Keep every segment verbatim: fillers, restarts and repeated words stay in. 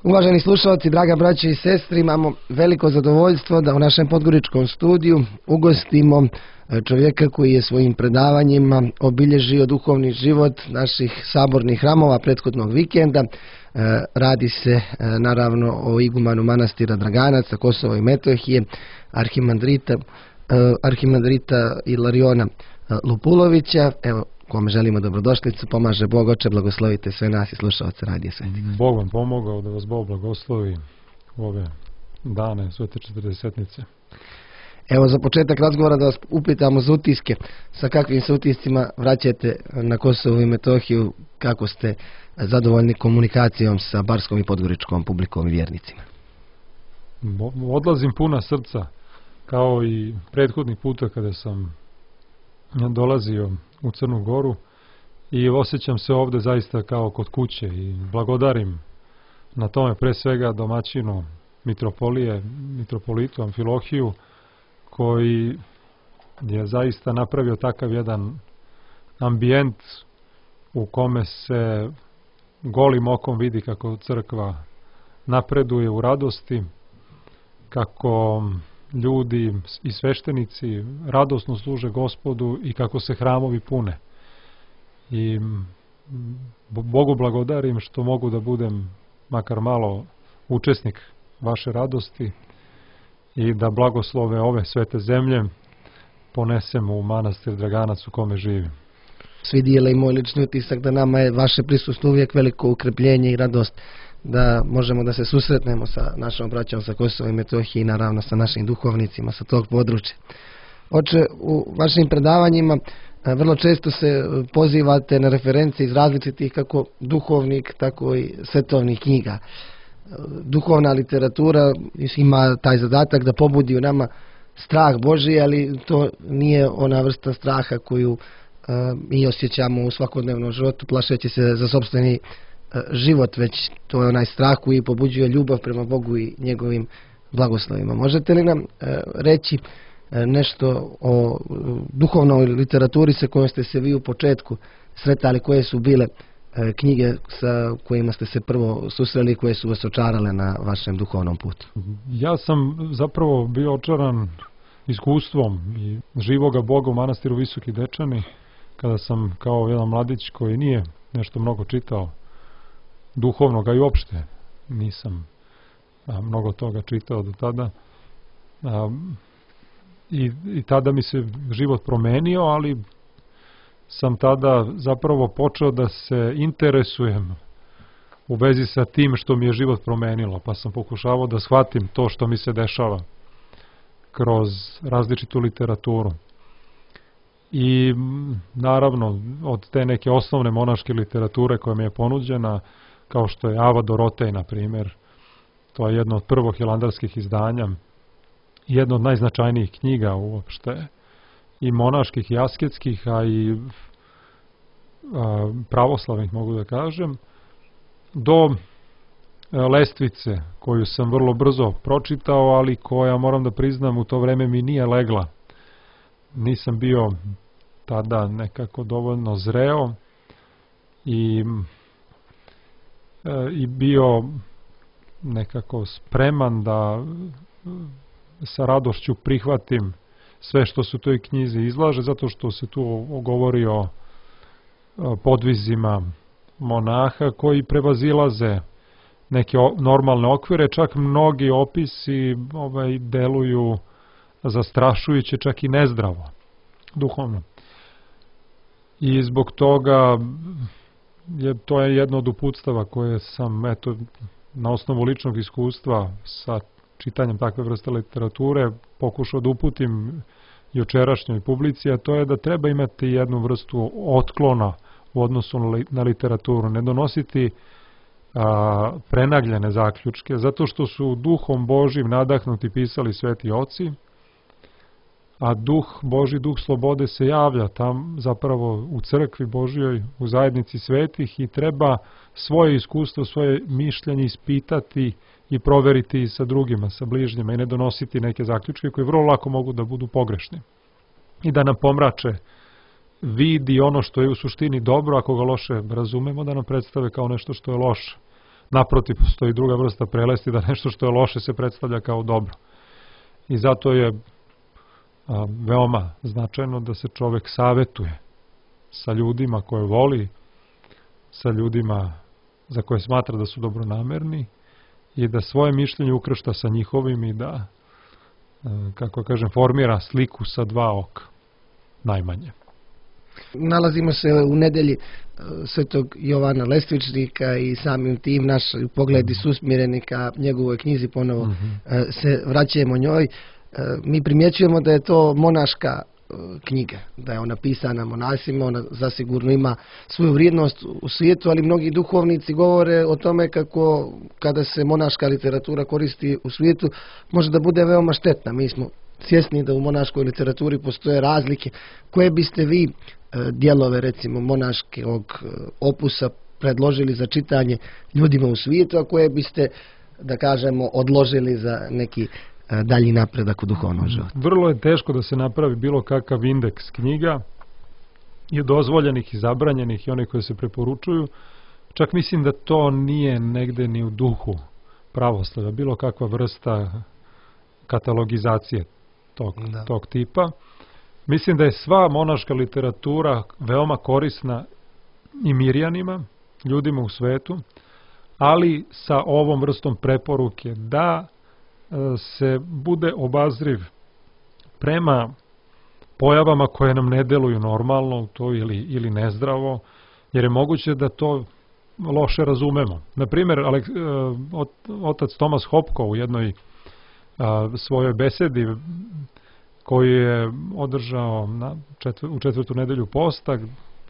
Uvaženi slušalci, draga braća i sestri, imamo veliko zadovoljstvo da u našem podgoričkom studiju ugostimo čovjeka koji je svojim predavanjima obilježio duhovni život naših sabornih hramova prethodnog vikenda. Radi se naravno o igumanu manastira Draganac sa Kosova i Metohije, arhimandrita, arhimandrita Ilariona Lupulovića. Evo, kome želimo dobrodošlicu, pomaže Bog. Oče, blagoslovite sve nas i slušalce Radija Sveti. Bog vam pomogao da vas Bog blagoslovi u ove dane Svete četrdesetnice. Evo, za početak razgovora da vas upitamo za utiske. Sa kakvim se utiscima vraćate na Kosovo i Metohiju, kako ste zadovoljni komunikacijom sa barskom i podgoričkom publikom i vjernicima? Odlazim puna srca, kao i prethodnih puta kada sam dolazio u Crnu Goru, i osjećam se ovde zaista kao kod kuće i blagodarim na tome pre svega domaćinu mitropolije, mitropolitu Amfilohiju, koji je zaista napravio takav jedan ambijent u kome se golim okom vidi kako crkva napreduje u radosti, kako ljudi i sveštenici radosno služe Gospodu i kako se hramovi pune. I Bogu blagodarim što mogu da budem makar malo učesnik vaše radosti i da blagoslove ove svete zemlje ponesem u manastir Draganac u kome živim. Svi dijele i moj lični utisak da nama je vaše prisustvo uvijek veliko ukrepljenje i radost da možemo da se susretnemo sa našom braćom sa Kosova i Metohije i naravno sa našim duhovnicima sa tog područja. Oče, u vašim predavanjima vrlo često se pozivate na reference iz različitih kako duhovnih, tako i svetovnih knjiga. Duhovna literatura ima taj zadatak da pobudi u nama strah Božji, ali to nije ona vrsta straha koju mi osjećamo u svakodnevnom životu, plašeći se za sopstveni život, već to je onaj strah koji pobuđuje ljubav prema Bogu i njegovim blagoslovima. Možete li nam reći nešto o duhovnoj literaturi sa kojom ste se vi u početku sretali, koje su bile knjige sa kojima ste se prvo susreli, koje su vas očarale na vašem duhovnom putu? Ja sam zapravo bio očaran iskustvom i živoga Boga u manastiru Visoki Dečani, kada sam kao jedan mladić koji nije nešto mnogo čitao duhovnog, a i uopšte nisam a, mnogo toga čitao do tada. A, i, I tada mi se život promenio, ali sam tada zapravo počeo da se interesujem u vezi sa tim što mi je život promenilo, pa sam pokušavao da shvatim to što mi se dešava kroz različitu literaturu. I naravno od te neke osnovne monaške literature koja mi je ponuđena, kao što je Ava Dorotej, na primjer, to je jedno od prvog hilandarskih izdanja, jedno od najznačajnijih knjiga uopšte, i monaških i asketskih, a i a, pravoslavnih, mogu da kažem, do a, Lestvice, koju sam vrlo brzo pročitao, ali koja, moram da priznam, u to vreme mi nije legla. Nisam bio tada nekako dovoljno zreo i, e, i bio nekako spreman da sa radošću prihvatim sve što se u toj knjizi izlaže, zato što se tu govori o podvizima monaha koji prevazilaze neke normalne okvire, čak mnogi opisi ovaj, deluju zastrašujuće, čak i nezdravo, duhovno. I zbog toga je, to je jedno od uputstava koje sam, eto, na osnovu ličnog iskustva sa čitanjem takve vrste literature pokušao da uputim jučerašnjoj publici, a to je da treba imati jednu vrstu otklona u odnosu na literaturu, ne donositi a, prenagljene zaključke, zato što su duhom Božjim nadahnuti pisali sveti oci, a duh Božji, duh slobode se javlja tam zapravo u crkvi Božjoj, u zajednici svetih, i treba svoje iskustvo, svoje mišljenje ispitati i proveriti sa drugima, sa bližnjima, i ne donositi neke zaključke koji vrlo lako mogu da budu pogrešni i da nam pomrače vid i ono što je u suštini dobro, ako ga loše razumemo, da nam predstave kao nešto što je loše. naprotiv, postoji druga vrsta prelesti, da nešto što je loše se predstavlja kao dobro. I zato je a, veoma značajno da se čovek savetuje sa ljudima koje voli, sa ljudima za koje smatra da su dobronamerni i da svoje mišljenje ukršta sa njihovim i da, kako kažem, formira sliku sa dva oka, najmanje. Nalazimo se u nedelji Svetog Jovana Lestvičnika i samim tim naši pogledi su usmjereni ka njegovoj knjizi, ponovo mm-hmm. se vraćamo njoj. Mi primjećujemo da je to monaška knjiga, da je ona pisana monasima, ona zasigurno ima svoju vrijednost u svijetu, ali mnogi duhovnici govore o tome kako kada se monaška literatura koristi u svijetu može da bude veoma štetna. Mi smo svjesni da u monaškoj literaturi postoje razlike. Koje biste vi dijelove, recimo, monaškog opusa predložili za čitanje ljudima u svijetu, a koje biste, da kažemo, odložili za neki dalji napredak u duhovnom životu? Vrlo je teško da se napravi bilo kakav indeks knjiga i dozvoljenih i zabranjenih i one koje se preporučuju. Čak mislim da to nije negde ni u duhu pravoslavlja, bilo kakva vrsta katalogizacije tog, tog tipa. Mislim da je sva monaška literatura veoma korisna i mirjanima, ljudima u svetu, ali sa ovom vrstom preporuke da se bude obazriv prema pojavama koje nam ne deluju normalno to ili, ili nezdravo, jer je moguće da to loše razumemo. Naprimjer, otac Tomas Hopko u jednoj a, svojoj besedi koju je održao na četvr, u četvrtu nedelju posta,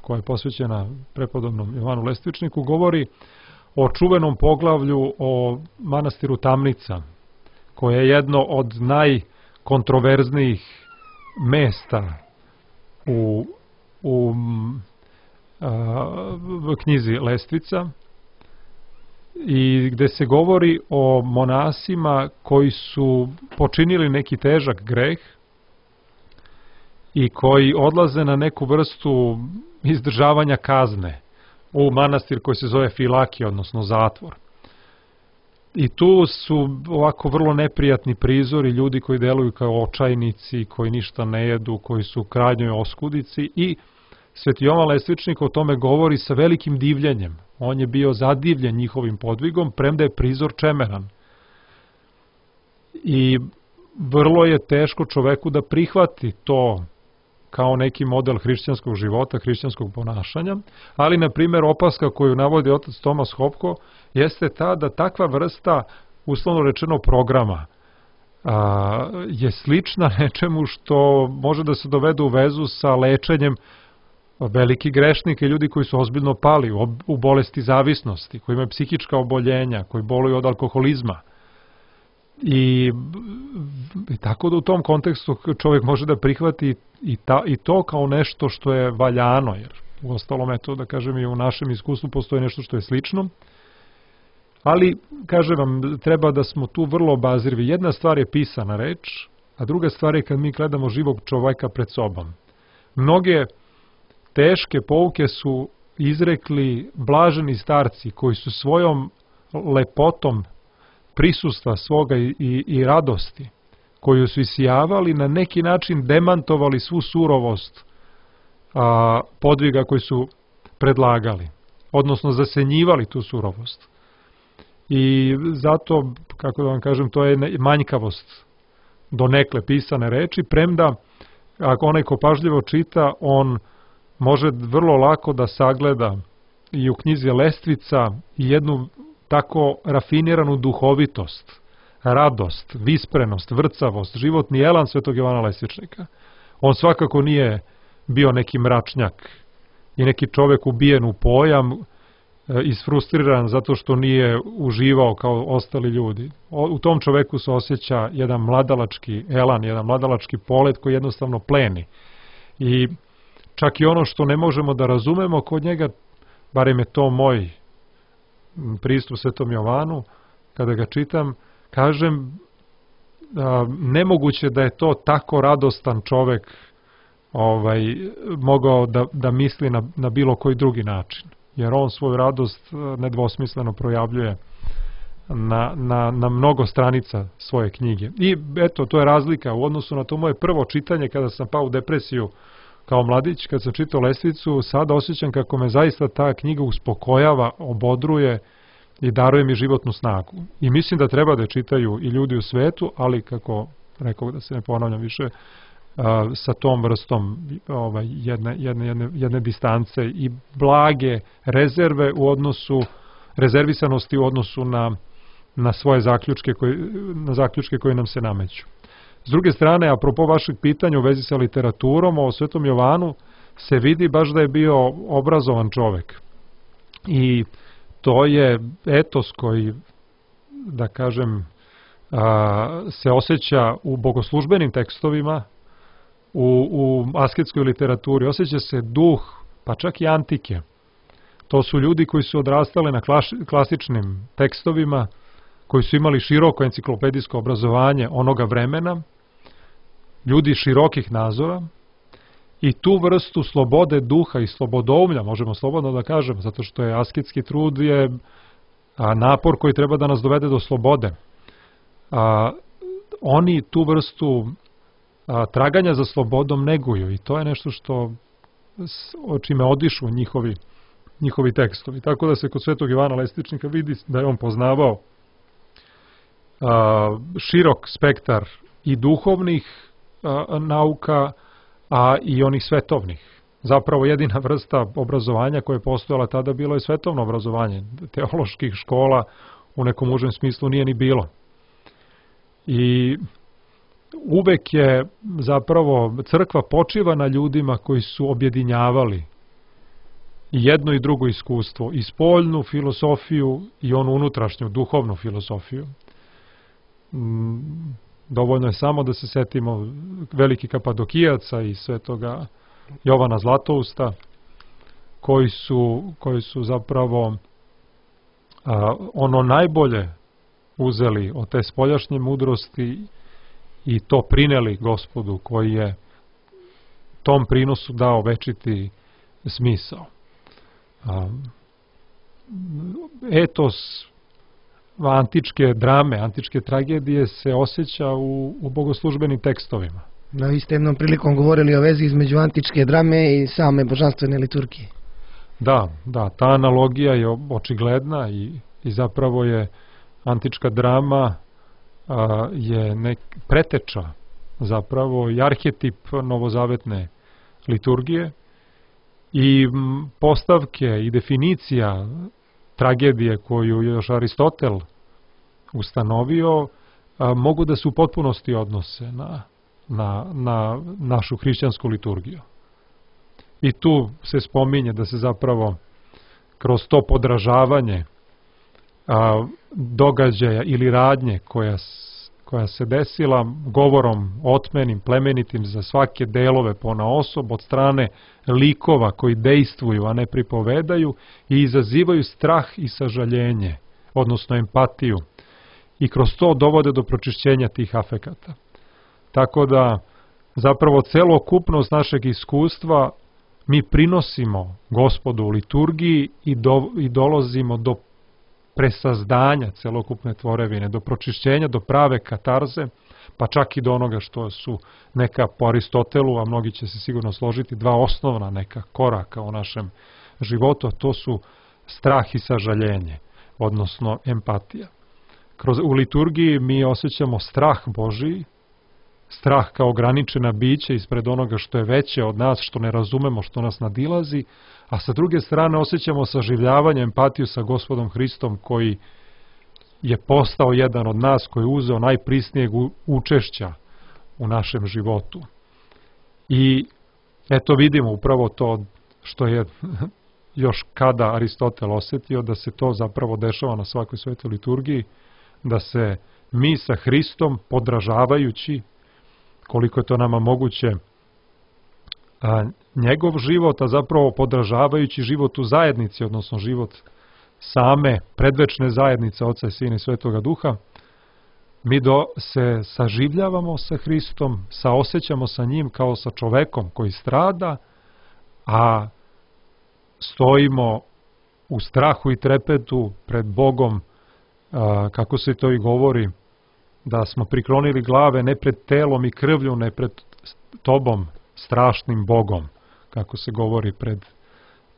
koja je posvećena prepodobnom Jovanu Lestvičniku, govori o čuvenom poglavlju o manastiru Tamnica, koje je jedno od najkontroverznijih mesta u, u a, knjizi Lestvica, i gde se govori o monasima koji su počinili neki težak greh i koji odlaze na neku vrstu izdržavanja kazne u manastir koji se zove Filakija, odnosno zatvor. I tu su ovako vrlo neprijatni prizori, ljudi koji deluju kao očajnici, koji ništa ne jedu, koji su u krajnjoj oskudici, i Sveti Jovan Lestvičnik o tome govori sa velikim divljenjem. On je bio zadivljen njihovim podvigom, premda je prizor čemeran. I vrlo je teško čoveku da prihvati to kao neki model hrišćanskog života, hrišćanskog ponašanja, ali, na primjer, opaska koju navodi otac Tomas Hopko jeste ta da takva vrsta, uslovno rečeno, programa a, je slična nečemu što može da se dovede u vezu sa lečenjem veliki grešnika i ljudi koji su ozbiljno pali u, u bolesti zavisnosti, koji imaju psihička oboljenja, koji boluju od alkoholizma. I, i tako da u tom kontekstu čovjek može da prihvati i, ta, i to kao nešto što je valjano, jer u ostalom, eto, da kažem, i u našem iskustvu postoji nešto što je slično. Ali, kažem vam, treba da smo tu vrlo obazrivi. Jedna stvar je pisana reč, a druga stvar je kad mi gledamo živog čovjeka pred sobom. Mnoge teške pouke su izrekli blaženi starci koji su svojom lepotom prisustva svoga i, i, i radosti koju su isijavali na neki način demantovali svu surovost a, podviga koji su predlagali, odnosno zasenjivali tu surovost. I zato, kako da vam kažem, to je manjkavost donekle pisane reči, premda ako onaj ko pažljivo čita, on može vrlo lako da sagleda i u knjizi Lestvica jednu tako rafiniranu duhovitost, radost, visprenost, vrcavost, životni elan Svetog Jovana Lestvičnika. On svakako nije bio neki mračnjak i neki čovek ubijen u pojam, isfrustriran zato što nije uživao kao ostali ljudi. U tom čoveku se osjeća jedan mladalački elan, jedan mladalački polet koji jednostavno pleni. I čak i ono što ne možemo da razumemo kod njega, barem je to moj pristup Svetom Jovanu, kada ga čitam, kažem, a, nemoguće da je to tako radostan čovek ovaj, mogao da, da misli na, na bilo koji drugi način. Jer on svoju radost nedvosmisleno projavljuje na, na, na mnogo stranica svoje knjige. I eto, to je razlika u odnosu na to moje prvo čitanje kada sam pao u depresiju kao mladić, kad sam čitao Lestvicu. Sada osjećam kako me zaista ta knjiga uspokojava, obodruje i daruje mi životnu snagu. I mislim da treba da je čitaju i ljudi u svetu, ali kako rekao, da se ne ponavljam više, a, sa tom vrstom ovaj, jedne, jedne, jedne, jedne distance i blage rezerve u odnosu, rezervisanosti u odnosu na, na svoje zaključke koji, na zaključke koji nam se nameću. S druge strane, apropo vašeg pitanja u vezi sa literaturom, o Svetom Jovanu se vidi baš da je bio obrazovan čovek. I to je etos koji, da kažem, a, se osjeća u bogoslužbenim tekstovima, u, u asketskoj literaturi. Osjeća se duh, pa čak i antike. To su ljudi koji su odrastali na klas, klasičnim tekstovima, koji su imali široko enciklopedijsko obrazovanje onoga vremena, ljudi širokih nazora, i tu vrstu slobode duha i slobodoumlja, možemo slobodno da kažem, zato što je asketski trud je napor koji treba da nas dovede do slobode. A, oni tu vrstu a, traganja za slobodom neguju i to je nešto što o čime odišu njihovi, njihovi tekstovi. Tako da se kod Svetog Jovana Lestičnika vidi da je on poznavao a, širok spektar i duhovnih a, nauka, a i onih svetovnih. Zapravo jedina vrsta obrazovanja koja je postojala tada bilo je svetovno obrazovanje. Teoloških škola u nekom užem smislu nije ni bilo. I uvek je zapravo crkva počiva na ljudima koji su objedinjavali i jedno i drugo iskustvo, i spoljnu filosofiju i onu unutrašnju duhovnu filosofiju. Dovoljno je samo da se setimo velikih Kapadokijaca i svetoga Jovana Zlatousta, koji su, koji su zapravo a, ono najbolje uzeli od te spoljašnje mudrosti i to prineli Gospodu, koji je tom prinosu dao večiti smisao. A, etos antičke drame, antičke tragedije se osjeća u, u bogoslužbenim tekstovima. Da, vi ste jednom prilikom govorili o vezi između antičke drame i same božanstvene liturgije. Da, da, ta analogija je očigledna i, i zapravo je antička drama a, je nek preteča zapravo i arhetip novozavetne liturgije i m, postavke i definicija tragedije koju je još Aristotel ustanovio a, mogu da se u potpunosti odnose na, na, na našu hrišćansku liturgiju. I tu se spominje da se zapravo kroz to podražavanje a, događaja ili radnje koja, koja se desila govorom otmenim, plemenitim za svake delove ponaosob od strane likova koji dejstvuju, a ne pripovedaju i izazivaju strah i sažaljenje, odnosno empatiju. I kroz to dovode do pročišćenja tih afekata. Tako da zapravo celokupnost našeg iskustva mi prinosimo Gospodu u liturgiji i, do, i dolazimo do presazdanja celokupne tvorevine, do pročišćenja, do prave katarze, pa čak i do onoga što su neka po Aristotelu, a mnogi će se sigurno složiti, dva osnovna neka koraka u našem životu, a to su strah i sažaljenje, odnosno empatija. Kroz, u liturgiji mi osjećamo strah Božiji, strah kao ograničena bića ispred onoga što je veće od nas, što ne razumemo, što nas nadilazi, a sa druge strane osjećamo saživljavanje, empatiju sa Gospodom Hristom koji je postao jedan od nas, koji je uzeo najprisnijeg učešća u našem životu. I eto vidimo upravo to što je još kada Aristotel osjetio, da se to zapravo dešava na svakoj svetoj liturgiji, da se mi sa Hristom podražavajući koliko je to nama moguće a, njegov život, a zapravo podražavajući život u zajednici, odnosno život same predvečne zajednice Oca i Sina i Svetoga Duha, mi do, se saživljavamo sa Hristom, saosećamo sa njim kao sa čovekom koji strada, a stojimo u strahu i trepetu pred Bogom a, kako se to i govori, da smo priklonili glave ne pred telom i krvlju, ne pred tobom, strašnim Bogom, kako se govori pred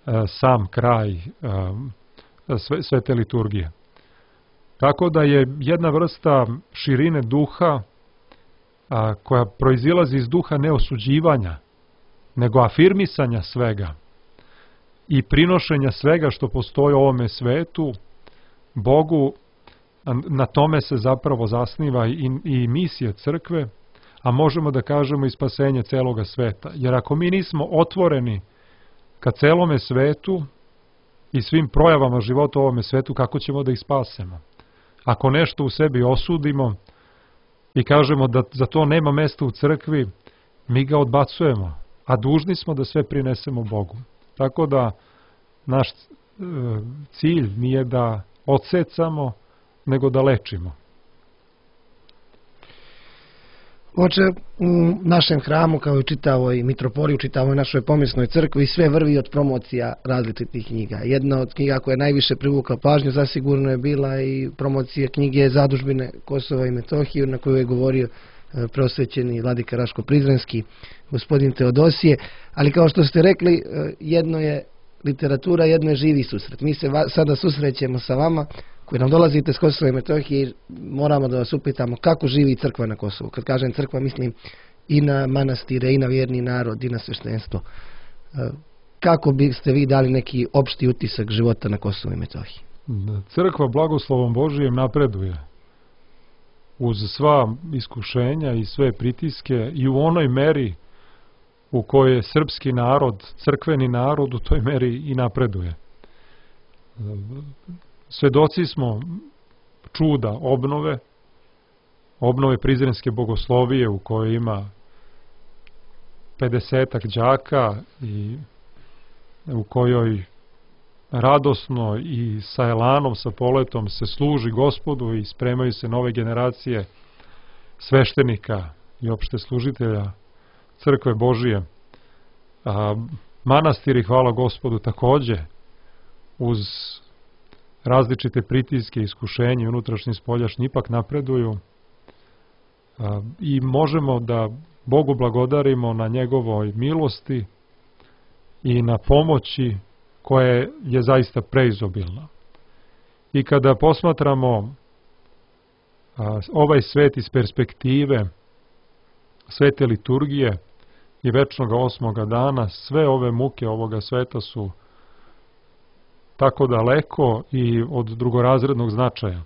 a, sam kraj a, sve, sve te liturgije. Tako da je jedna vrsta širine duha a, koja proizilazi iz duha neosuđivanja, nego afirmisanja svega i prinošenja svega što postoji u ovome svetu Bogu. Na tome se zapravo zasniva i, i misija crkve, a možemo da kažemo i spasenje celoga sveta. Jer ako mi nismo otvoreni ka celome svetu i svim projavama života u ovome svetu, kako ćemo da ih spasemo? Ako nešto u sebi osudimo i kažemo da za to nema mesta u crkvi, mi ga odbacujemo, a dužni smo da sve prinesemo Bogu. Tako da naš e, cilj nije da odsecamo, nego da lečimo. Oče, u našem hramu, kao i u čitavoj mitropoliji, u čitavoj našoj pomjesnoj crkvi, sve vrvi od promocija različitih knjiga. Jedna od knjiga koja je najviše privukla pažnju zasigurno je bila i promocija knjige Zadužbine Kosova i Metohije, na koju je govorio preosvećeni vladika Raško-Prizrenski, gospodin Teodosije. Ali kao što ste rekli, jedno je literatura, jedno je živi susret. Mi se sada susrećemo sa vama koji nam dolazite s Kosova i Metohije i moramo da vas upitamo kako živi crkva na Kosovu. Kad kažem crkva, mislim i na manastire, i na vjerni narod, i na sveštenstvo. Kako biste vi dali neki opšti utisak života na Kosovu i Metohiji? Crkva blagoslovom Božijem napreduje uz sva iskušenja i sve pritiske i u onoj meri u kojoj je srpski narod, crkveni narod, u toj meri i napreduje. Svedoci smo čuda obnove, obnove Prizrenske bogoslovije u kojoj ima pedesetak đaka i u kojoj radosno i sa elanom, sa poletom se služi Gospodu i spremaju se nove generacije sveštenika i opšte služitelja crkve Božije. A manastiri, hvala Gospodu, takođe uz različite pritiske, iskušenje, unutrašnji i spoljašnji ipak napreduju a, i možemo da Bogu blagodarimo na njegovoj milosti i na pomoći koja je zaista preizobilna. I kada posmatramo a, ovaj svet iz perspektive svete liturgije i večnoga osmoga dana, sve ove muke ovoga sveta su tako daleko i od drugorazrednog značaja.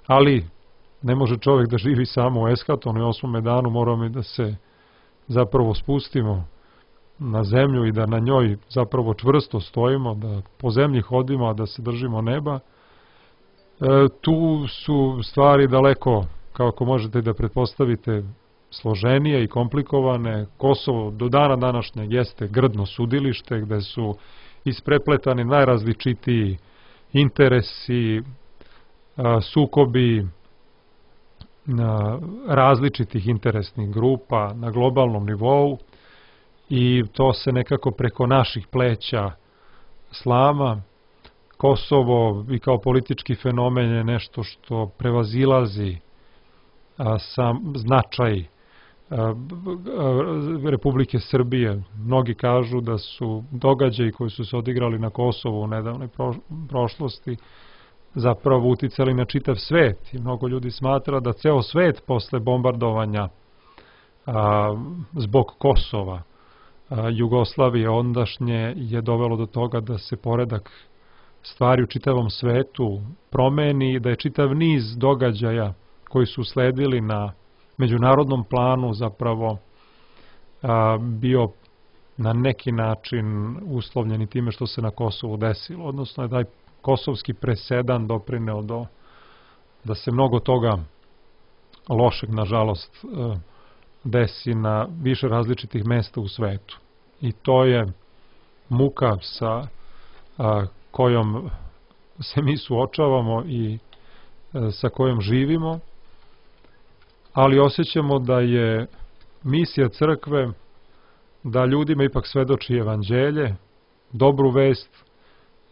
Ali ne može čovjek da živi samo u eskatonu i osmome danu, moramo i da se zapravo spustimo na zemlju i da na njoj zapravo čvrsto stojimo, da po zemlji hodimo, a da se držimo neba. E, tu su stvari daleko, kako možete da pretpostavite, složenije i komplikovane. Kosovo do dana današnjeg jeste grdno sudilište gde su isprepletani najrazličitiji interesi, sukobi različitih interesnih grupa na globalnom nivou i to se nekako preko naših pleća slama. Kosovo i kao politički fenomen je nešto što prevazilazi sam značaj Republike Srbije. Mnogi kažu da su događaji koji su se odigrali na Kosovu u nedavnoj prošlosti zapravo uticali na čitav svet i mnogo ljudi smatra da ceo svet posle bombardovanja a, zbog Kosova a, Jugoslavije ondašnje je dovelo do toga da se poredak stvari u čitavom svetu promeni i da je čitav niz događaja koji su sledili na međunarodnom planu zapravo a, bio na neki način uslovljeni time što se na Kosovu desilo, odnosno je taj kosovski presedan doprineo do da se mnogo toga lošeg, nažalost, desi na više različitih mesta u svetu. I to je muka sa a, kojom se mi suočavamo i a, sa kojom živimo, ali osjećamo da je misija crkve da ljudima ipak svedoči evanđelje, dobru vest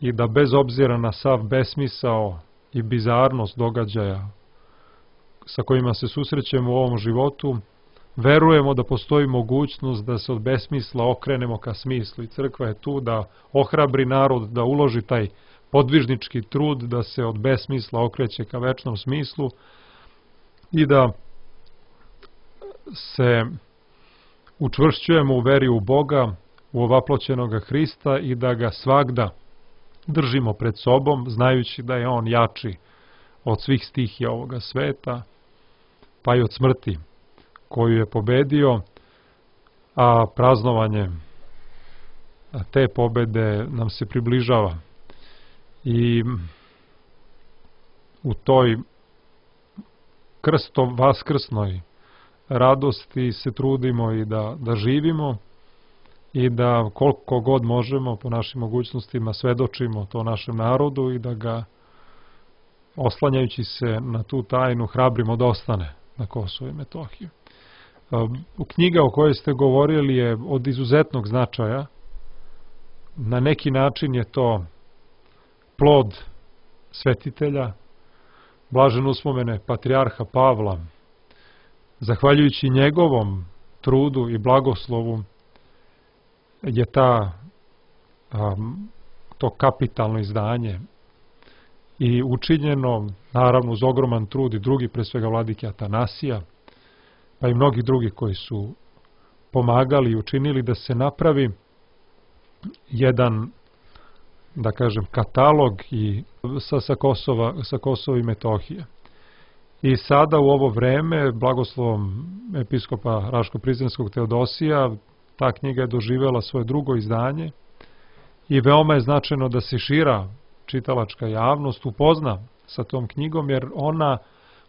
i da bez obzira na sav besmisao i bizarnost događaja sa kojima se susrećemo u ovom životu, verujemo da postoji mogućnost da se od besmisla okrenemo ka smislu i crkva je tu da ohrabri narod, da uloži taj podvižnički trud, da se od besmisla okreće ka večnom smislu i da se učvršćujemo u veri u Boga, u ovaploćenoga Hrista i da ga svagda držimo pred sobom, znajući da je on jači od svih stihija ovoga sveta, pa i od smrti koju je pobedio, a praznovanje te pobede nam se približava. I u toj krsto vaskrsnoj radosti se trudimo i da, da živimo i da koliko god možemo po našim mogućnostima svedočimo to našem narodu i da ga, oslanjajući se na tu tajnu, hrabrimo da ostane na Kosovu i Metohiji. Knjiga o kojoj ste govorili je od izuzetnog značaja. Na neki način je to plod svetitelja, blažen uspomene patrijarha Pavla. Zahvaljujući njegovom trudu i blagoslovu je ta, um, to kapitalno izdanje i učinjeno, naravno uz ogroman trud i drugi, pre svega vladike Atanasija, pa i mnogi drugi koji su pomagali i učinili da se napravi jedan, da kažem, katalog i sa, sa, Kosova, sa Kosova i Metohije. I sada u ovo vreme, blagoslovom episkopa Raško-Prizrenskog Teodosija, ta knjiga je doživjela svoje drugo izdanje i veoma je značajno da se šira čitalačka javnost upozna sa tom knjigom, jer ona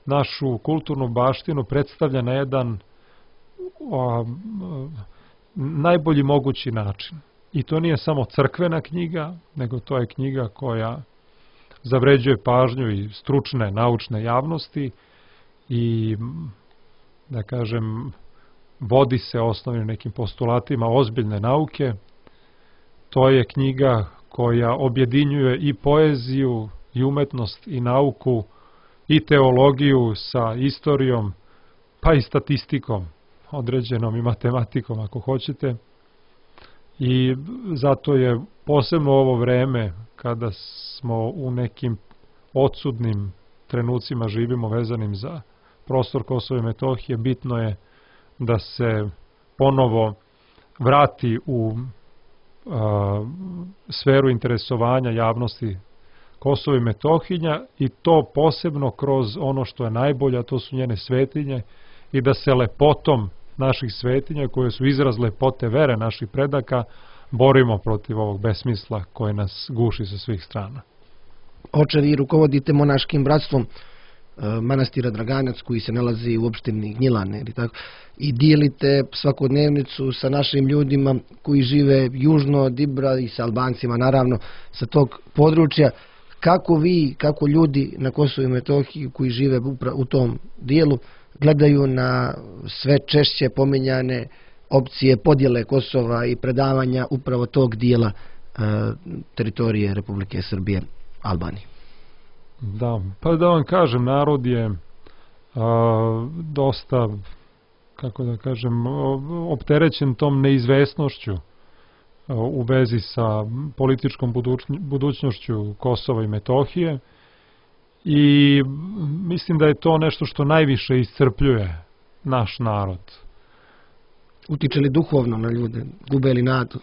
našu kulturnu baštinu predstavlja na jedan a, najbolji mogući način. I to nije samo crkvena knjiga, nego to je knjiga koja zavređuje pažnju i stručne, naučne javnosti i, da kažem, vodi se osnovnim nekim postulatima ozbiljne nauke. To je knjiga koja objedinjuje i poeziju, i umetnost, i nauku, i teologiju sa istorijom, pa i statistikom, određenom i matematikom ako hoćete. I zato je posebno ovo vreme kada smo u nekim odsudnim trenucima živimo vezanim za prostor Kosova i Metohije, bitno je da se ponovo vrati u a, sferu interesovanja javnosti Kosova i Metohija i to posebno kroz ono što je najbolje, a to su njene svetinje, i da se lepotom naših svetinja, koje su izraz lepote vere naših predaka, borimo protiv ovog besmisla koje nas guši sa svih strana. Oče, vi rukovodite monaškim bratstvom manastira Draganac koji se nalazi u opštini Gnjilane ili tako, i dijelite svakodnevnicu sa našim ljudima koji žive južno od Ibra i sa Albancima, naravno, sa tog područja. Kako vi, kako ljudi na Kosovu i Metohiji koji žive u tom dijelu gledaju na sve češće pominjane opcije podjele Kosova i predavanja upravo tog dijela e, teritorije Republike Srbije Albaniji? Da, pa da vam kažem, narod je a, dosta, kako da kažem, opterećen tom neizvesnošću a, u vezi sa političkom budućnošću Kosova i Metohije i mislim da je to nešto što najviše iscrpljuje naš narod. Utiče li duhovno na ljude? Gube li nadu?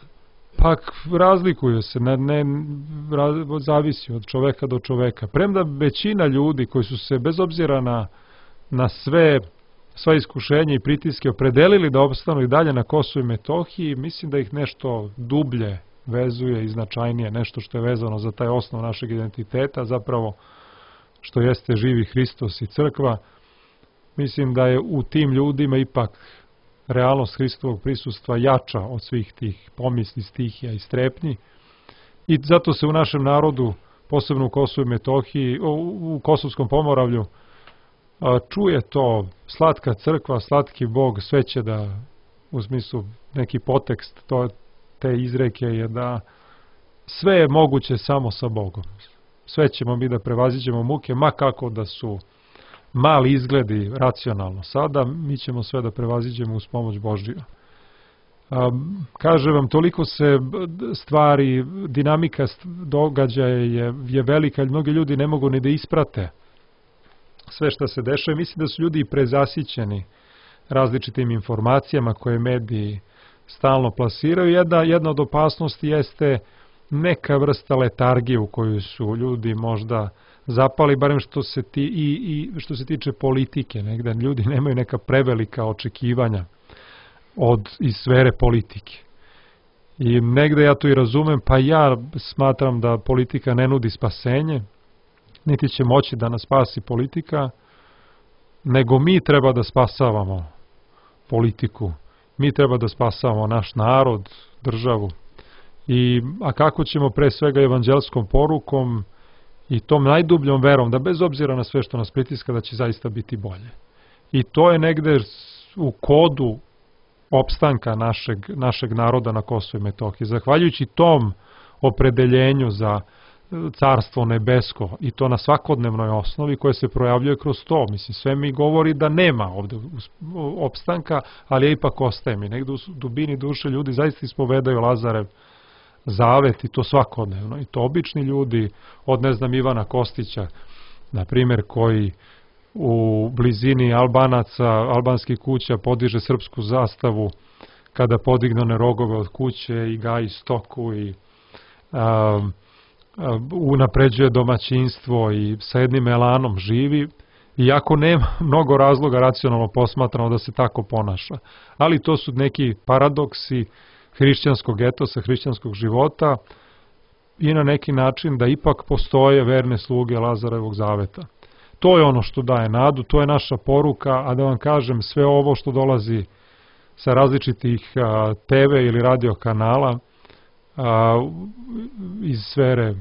Pa razlikuje se, ne, ne, zavisi od čoveka do čoveka. Premda većina ljudi koji su se bez obzira na, na sve, sva iskušenja i pritiske opredelili da opstanu i dalje na Kosovu i Metohiji, mislim da ih nešto dublje vezuje i značajnije, nešto što je vezano za taj osnov našeg identiteta, zapravo što jeste živi Hristos i crkva. Mislim da je u tim ljudima ipak realnost Hristovog prisustva jača od svih tih pomisli, stihija i strepnji. I zato se u našem narodu, posebno u Kosovu i Metohiji, u Kosovskom Pomoravlju, čuje to slatka crkva, slatki Bog, sve će da, u smislu neki potekst to, te izreke je da sve je moguće samo sa Bogom. sve ćemo mi da prevaziđemo muke, ma kako da su mali izgledi racionalno sada, mi ćemo sve da prevaziđemo uz pomoć Božiju. Kažem vam, toliko se stvari, dinamika događaja je, je velika, ali mnogi ljudi ne mogu ni da isprate sve što se dešava. Mislim da su ljudi prezasićeni različitim informacijama koje mediji stalno plasiraju. Jedna, jedna od opasnosti jeste neka vrsta letargije u koju su ljudi možda zapali, barem što se, ti, i, i što se tiče politike. Negde ljudi nemaju neka prevelika očekivanja od iz sfere politike. I negde ja to i razumem, pa ja smatram da politika ne nudi spasenje, niti će moći da nas spasi politika, nego mi treba da spasavamo politiku. Mi treba da spasavamo naš narod, državu. I, a kako ćemo pre svega evanđelskom porukom i tom najdubljom verom, da bez obzira na sve što nas pritiska, da će zaista biti bolje. I to je negde u kodu opstanka našeg, našeg naroda na Kosovu i Metohiji. Zahvaljujući tom opredeljenju za carstvo nebesko i to na svakodnevnoj osnovi koje se projavljuje kroz to. Mislim, sve mi govori da nema ovde opstanka, ali ja ipak ostaje mi. Negde u dubini duše ljudi zaista ispovedaju Lazarev zavet i to svakodnevno. I to obični ljudi, od ne znam Ivana Kostića, na primjer, koji u blizini Albanaca, albanskih kuća podiže srpsku zastavu kada podigne one rogove od kuće i gaji stoku i a, a, unapređuje domaćinstvo i sa jednim elanom živi, iako nema mnogo razloga racionalno posmatrano da se tako ponaša. Ali to su neki paradoksi hrišćanskog etosa, hrišćanskog života i na neki način da ipak postoje verne sluge Lazarevog zaveta. To je ono što daje nadu, to je naša poruka, a da vam kažem, sve ovo što dolazi sa različitih a, te ve ili radio kanala a, iz sfere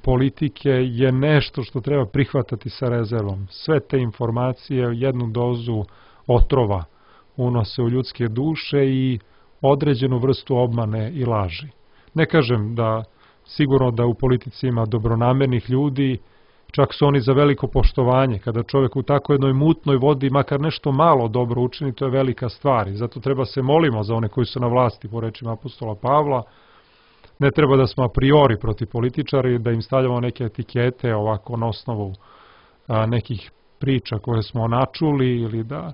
politike je nešto što treba prihvatati sa rezervom. Sve te informacije jednu dozu otrova unose u ljudske duše i određenu vrstu obmane i laži. Ne kažem da sigurno da u politici ima dobronamernih ljudi, čak su oni za veliko poštovanje. Kada čovjek u tako jednoj mutnoj vodi makar nešto malo dobro učini, to je velika stvar. I zato treba se molimo za one koji su na vlasti, po rečima apostola Pavla. Ne treba da smo a priori protiv političara i da im stavljamo neke etikete ovako na osnovu a, nekih priča koje smo načuli ili da,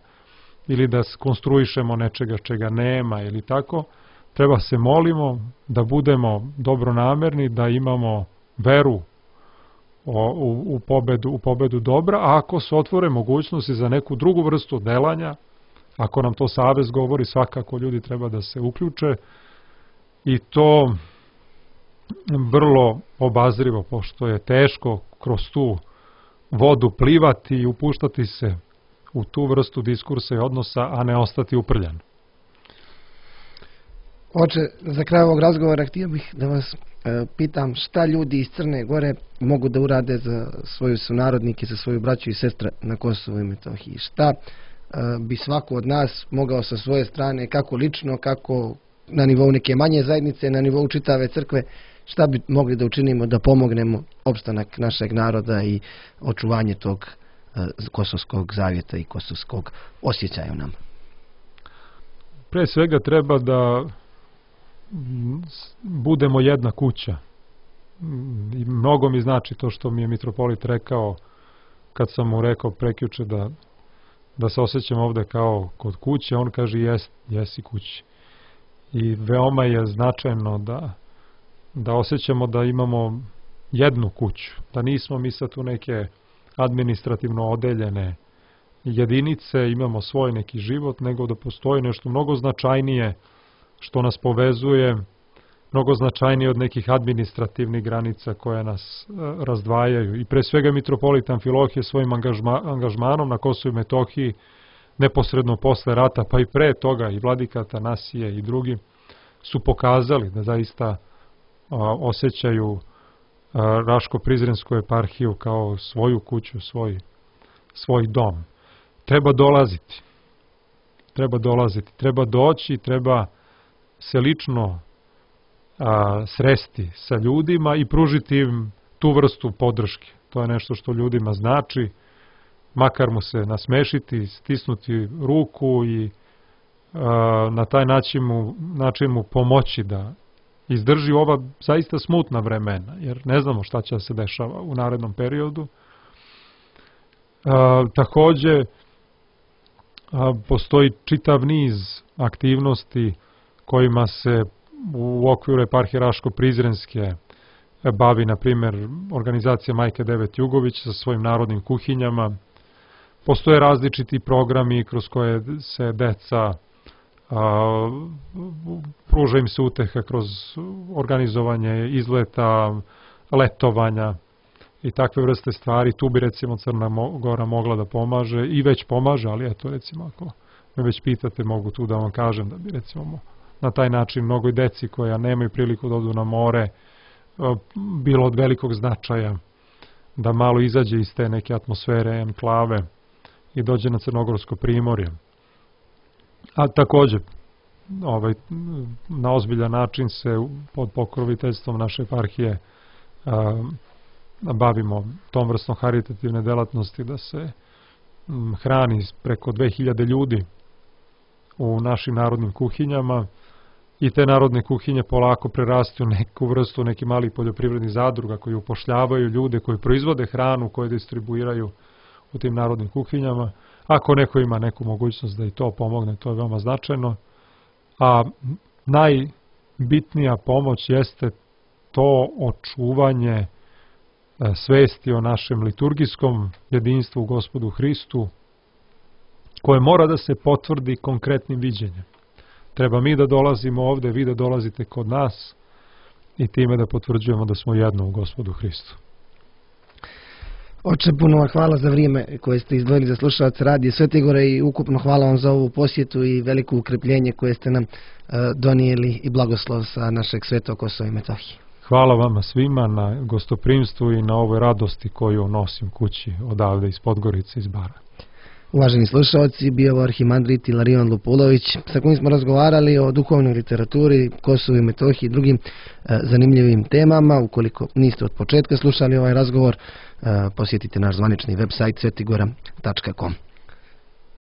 ili da konstruišemo nečega čega nema ili tako. Treba se molimo da budemo dobronamerni, da imamo veru O, u, u, pobedu, u pobedu dobra, a ako se otvore mogućnosti za neku drugu vrstu delanja, ako nam to savez govori, svakako ljudi treba da se uključe i to vrlo obazrivo, pošto je teško kroz tu vodu plivati i upuštati se u tu vrstu diskursa i odnosa, a ne ostati uprljan. Oče, za kraj ovog razgovora htio bih da vas e, pitam šta ljudi iz Crne Gore mogu da urade za svoju sunarodnike, za svoju braću i sestre na Kosovu i Metohiji. Šta e, bi svako od nas mogao sa svoje strane, kako lično, kako na nivou neke manje zajednice, na nivou čitave crkve, šta bi mogli da učinimo da pomognemo opstanak našeg naroda i očuvanje tog e, kosovskog zavjeta i kosovskog osjećaja u nama? Pre svega treba da budemo jedna kuća. I mnogo mi znači to što mi je mitropolit rekao kad sam mu rekao prekjuče da, da se osjećam ovde kao kod kuće. On kaže jes, jesi kući. I veoma je značajno da, da osjećamo da imamo jednu kuću. Da nismo mi sad tu neke administrativno odeljene jedinice, imamo svoj neki život, nego da postoji nešto mnogo značajnije što nas povezuje, mnogo značajnije od nekih administrativnih granica koje nas e, razdvajaju. I pre svega mitropolit Amfilohije svojim angažma, angažmanom na Kosovu i Metohiji, neposredno posle rata, pa i pre toga, i vladika Atanasije i drugi, su pokazali da zaista a, osjećaju a, Raško-Prizrensku eparhiju kao svoju kuću, svoj, svoj dom. Treba dolaziti. Treba dolaziti. Treba doći, treba se lično a, sresti sa ljudima i pružiti im tu vrstu podrške. To je nešto što ljudima znači, makar mu se nasmešiti, stisnuti ruku i a, na taj način mu, način mu pomoći da izdrži ova zaista smutna vremena, jer ne znamo šta će se dešava u narednom periodu. A, takođe, a, postoji čitav niz aktivnosti kojima se u okviru eparhije Raško-Prizrenske bavi, na primjer, organizacija Majke Devet Jugović sa svojim narodnim kuhinjama. Postoje različiti programi kroz koje se deca, a, pruža im se uteha kroz organizovanje izleta, letovanja i takve vrste stvari. Tu bi recimo Crna Gora mogla da pomaže i već pomaže, ali eto recimo ako me već pitate, mogu tu da vam kažem da bi recimo na taj način mnogoj deci koja nemaju priliku da odu na more bilo od velikog značaja da malo izađe iz te neke atmosfere, enklave i dođe na Crnogorsko primorje. A takođe, ovaj, na ozbiljan način se pod pokroviteljstvom naše eparhije a, bavimo tom vrstom haritativne delatnosti da se m, hrani preko dve hiljade ljudi u našim narodnim kuhinjama i te narodne kuhinje polako prerastu u neku vrstu nekih malih poljoprivrednih zadruga koji upošljavaju ljude koji proizvode hranu, koje distribuiraju u tim narodnim kuhinjama. Ako neko ima neku mogućnost da i to pomogne, to je veoma značajno. A najbitnija pomoć jeste to očuvanje svesti o našem liturgijskom jedinstvu u Gospodu Hristu, koje mora da se potvrdi konkretnim viđenjem. Treba mi da dolazimo ovde, vi da dolazite kod nas i time da potvrđujemo da smo jedno u Gospodu Hristu. Oče, puno vam hvala za vrijeme koje ste izdvojili za slušalac Radija Svetigore i ukupno hvala vam za ovu posjetu i veliko ukrepljenje koje ste nam uh, donijeli i blagoslov sa našeg Svetog Kosova i Metohije. Hvala vama svima na gostoprimstvu i na ovoj radosti koju nosim kući odavde iz Podgorice, iz Bara. Uvaženi slušalci, bio je arhimandrit Ilarion Lupulović, sa kojim smo razgovarali o duhovnoj literaturi, Kosovu i Metohiji i drugim e, zanimljivim temama. Ukoliko niste od početka slušali ovaj razgovor, e, posjetite naš zvanični web sajt svetigora tačka com.